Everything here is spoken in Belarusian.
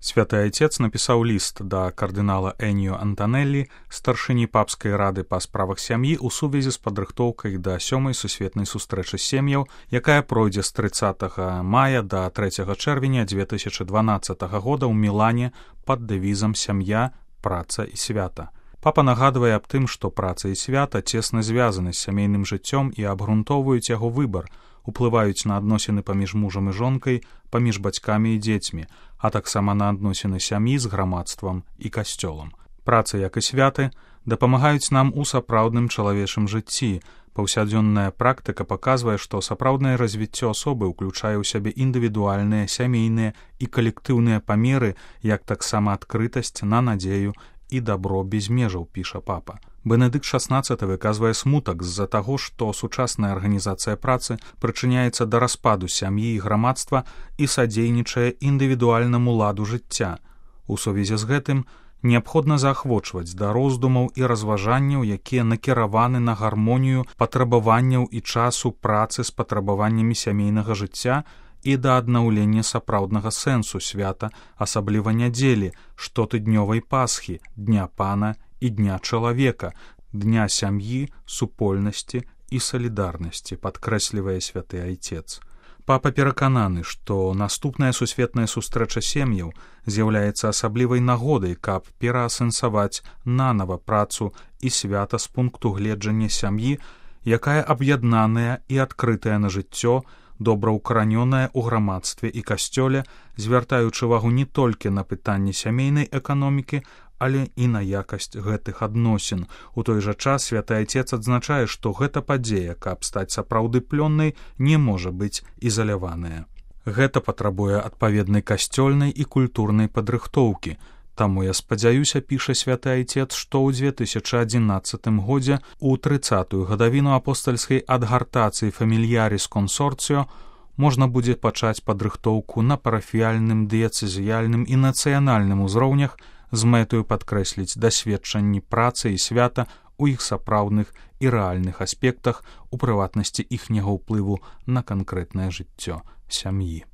Святы Айцец напісаў ліст да кардынала Эніо Антанеллі, старшыні папскай рады па справах сям'і ў сувязі з падрыхтоўкай да 7-й сусветнай сустрэчы сем'яў, якая пройдзе з 30 мая да 3 чэрвеня 2012 года ў Мілане пад дэвізам «Сям'я, праца і свята». Папа нагадвае аб тым, што праца і свята цесна звязаны з сямейным жыццём і абгрунтоўваюць яго выбар, уплываюць на адносіны паміж мужам і жонкай, паміж бацькамі і дзецьмі, а таксама на адносіны сям'і з грамадствам і касцёлам. Праца, як і святы, дапамагаюць нам у сапраўдным чалавечым жыцці. Паўсядзённая практыка паказвае, што сапраўднае развіццё асобы ўключае ў сябе індывідуальныя, сямейныя і калектыўныя памеры, як таксама адкрытасць на надзею і дабро без межаў, піша папа. Бенедыкт XVI выказвае смутак з-за таго, што сучасная арганізацыя працы прычыняецца да распаду сям'і і грамадства і садзейнічае індывідуальнаму ладу жыцця. У сувязі з гэтым неабходна заахвочваць да роздумаў і разважанняў, якія накіраваны на гармонію патрабаванняў і часу працы з патрабаваннямі сямейнага жыцця і да аднаўлення сапраўднага сэнсу свята, асабліва нядзелі, штотыднёвай Пасхі, Дня Пана і Дня чалавека, Дня сям'і, супольнасці і салідарнасці, падкрэслівае святы Айцец. Папа перакананы, што наступная сусветная сустрэча сем'яў з'яўляецца асаблівай нагодай, каб пераасэнсаваць нанава працу і свята з пункту гледжання сям'і, якая аб'яднаная і адкрытая на жыццё, добраўкаранёная ў грамадстве і касцёле, звяртаючы увагу не толькі на пытанні сямейнай эканомікі, але і на якасць гэтых адносін. У той жа час святы Айцец адзначае, што гэта падзея, каб стаць сапраўды плённай, не можа быць ізаляваная. Гэта патрабуе адпаведнай касцёльнай і культурнай падрыхтоўкі. Таму я спадзяюся, піша святы Айцец, што ў 2011 годзе у 30-ю гадавіну апостальскай адгартацыі «Фамільяріс Консорціо» можна будзе пачаць падрыхтоўку на парафіяльным, дыяцэзіяльным і нацыянальным узроўнях з мэтаю падкрэсліць дасведчанні працы і свята ў іх сапраўдных і рэальных аспектах, у прыватнасці іхняга ўплыву на канкрэтнае жыццё сям'і.